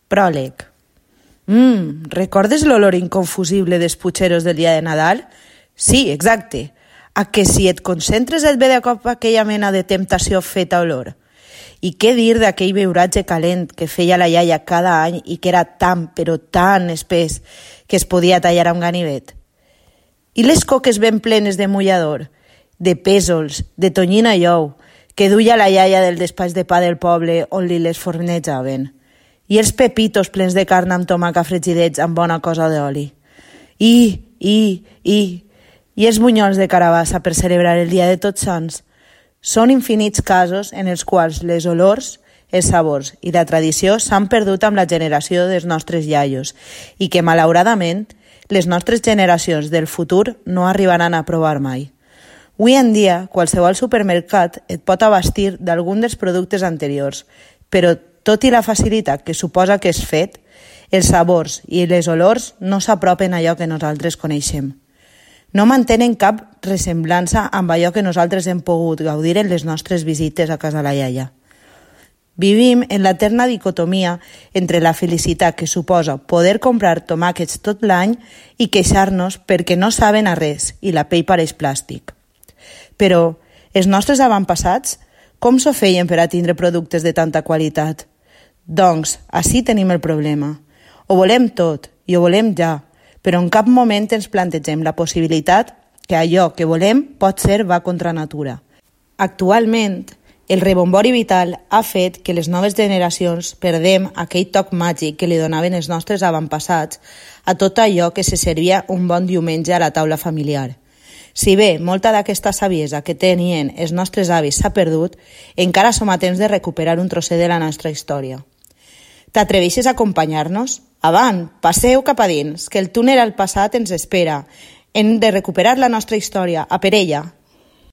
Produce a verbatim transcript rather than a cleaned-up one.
Pròleg. Mmm, recordes l'olor inconfusible dels putxeros del dia de Nadal? Sí, exacte. A que si et concentres et ve de cop aquella mena de temptació feta olor. I què dir d'aquell beuratge calent que feia la iaia cada any i que era tan, però tan espès que es podia tallar amb ganivet? I les coques ben plenes de mullador, de pèsols, de tonyina i ou, que duia la iaia del despatx de pa del poble on li les fornejaven. I els pepitos plens de carn amb tomaca fregidets amb bona cosa d'oli. I, i, i, i els bunyols de carabassa per celebrar el dia de Tots Sants. Són infinits casos en els quals les olors, els sabors i la tradició s'han perdut amb la generació dels nostres iaios i que, malauradament, les nostres generacions del futur no arribaran a provar mai. Avui en dia, qualsevol supermercat et pot abastir d'algun dels productes anteriors, però tot i la facilitat que suposa que és fet, els sabors i les olors no s'apropen a allò que nosaltres coneixem. No mantenen cap ressemblança amb allò que nosaltres hem pogut gaudir en les nostres visites a casa la iaia. Vivim en l'eterna dicotomia entre la felicitat que suposa poder comprar tomàquets tot l'any i queixar-nos perquè no saben a res i la pell pareix plàstic. Però els nostres avantpassats com s'ho feien per a tindre productes de tanta qualitat? Doncs, ací tenim el problema. Ho volem tot i ho volem ja, però en cap moment ens plantegem la possibilitat que allò que volem pot ser va contra natura. Actualment, el rebombori vital ha fet que les noves generacions perdem aquell toc màgic que li donaven els nostres avantpassats a tot allò que se servia un bon diumenge a la taula familiar. Si bé molta d'aquesta saviesa que tenien els nostres avis s'ha perdut, encara som a temps de recuperar un trosset de la nostra història. T'atreveixes a acompanyar-nos? Avant, passeu cap a dins, que el túnel al passat ens espera. Hem de recuperar la nostra història, a per ella.